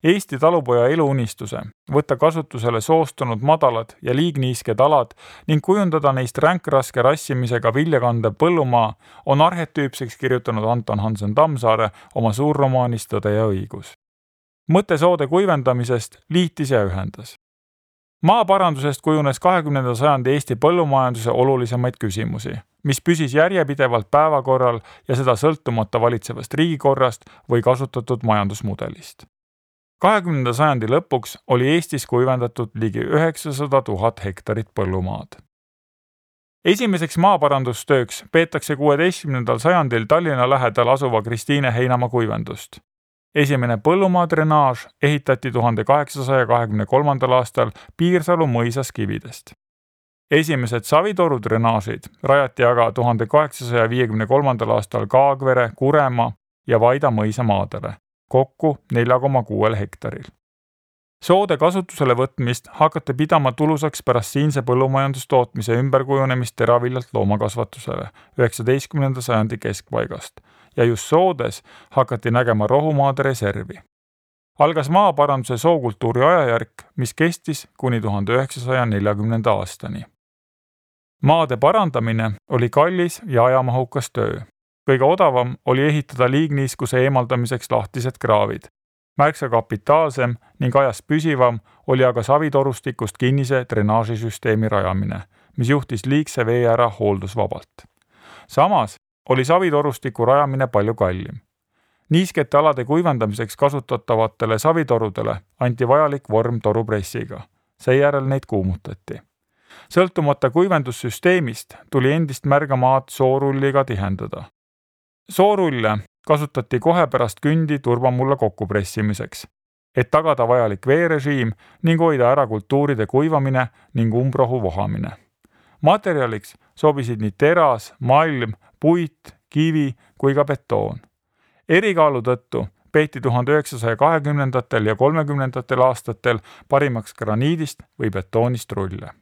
Eesti talupoja eluunistuse võtta kasutusele soostunud madalad ja liigniisked alad ning kujundada neist ränkraske rassimisega viljakandev põllumaa on arhetüüpseks kirjutanud Anton Hansen Tammsaare oma suurromaanis Tõde ja õigus. Mõte soode kuivendamisest liitis ja ühendas. Maaparandusest kujunes 20. sajandi Eesti põllumajanduse olulisemaid küsimusi, mis püsis järjepidevalt päevakorral ja seda sõltumata valitsevast riigikorrast või kasutatud majandusmudelist. 20. sajandi lõpuks oli Eestis kuivendatud ligi 900 000 hektarit põllumaad. Esimeseks maaparandustööks peetakse 16. sajandil Tallinna lähedal asuva Kristiine Heinamaa kuivendust. Esimene põllumaadrenaaž ehitati 1823. aastal Piirsalu mõisas kividest. Esimesed savitorudrenaažid rajati aga 1853. aastal Kaagvere, Kuremaa ja Vaida mõisa maadele, kokku 4,6 hektaril. Soode kasutusele võtmist hakati pidama tulusaks pärast siinse põllumajandustootmise ümberkujunemist teraviljalt loomakasvatusele 19. sajandi keskpaigast ja just soodes hakati nägema rohumaade reservi. Algas maaparanduse sookultuuri ajajärk, mis kestis kuni 1940. aastani. Maade parandamine oli kallis ja ajamahukas töö. Kõige odavam oli ehitada liigniiskuse eemaldamiseks lahtised kraavid. Märksa kapitaalsem ning ajas püsivam oli aga savitorustikust kinnise drenaažisüsteemi rajamine, mis juhtis liigse vee ära hooldusvabalt. Samas oli savitorustiku rajamine palju kallim. Niiskete alade kuivendamiseks kasutatavatele savitorudele anti vajalik vorm torupressiga. Seejärel neid kuumutati. Sõltumata kuivendussüsteemist tuli endist märgamaad soorulliga tihendada. Soorulle kasutati kohe pärast kündi turbamulla kokkupressimiseks, et tagada vajalik veerežiim ning hoida ära kultuuride kuivamine ning umbrohu vohamine. Materjaliks sobisid nii teras, malm, puit, kivi kui ka betoon. Erikaalu tõttu peeti 1920. ja 30. aastatel parimaks graniidist või betoonist rulle.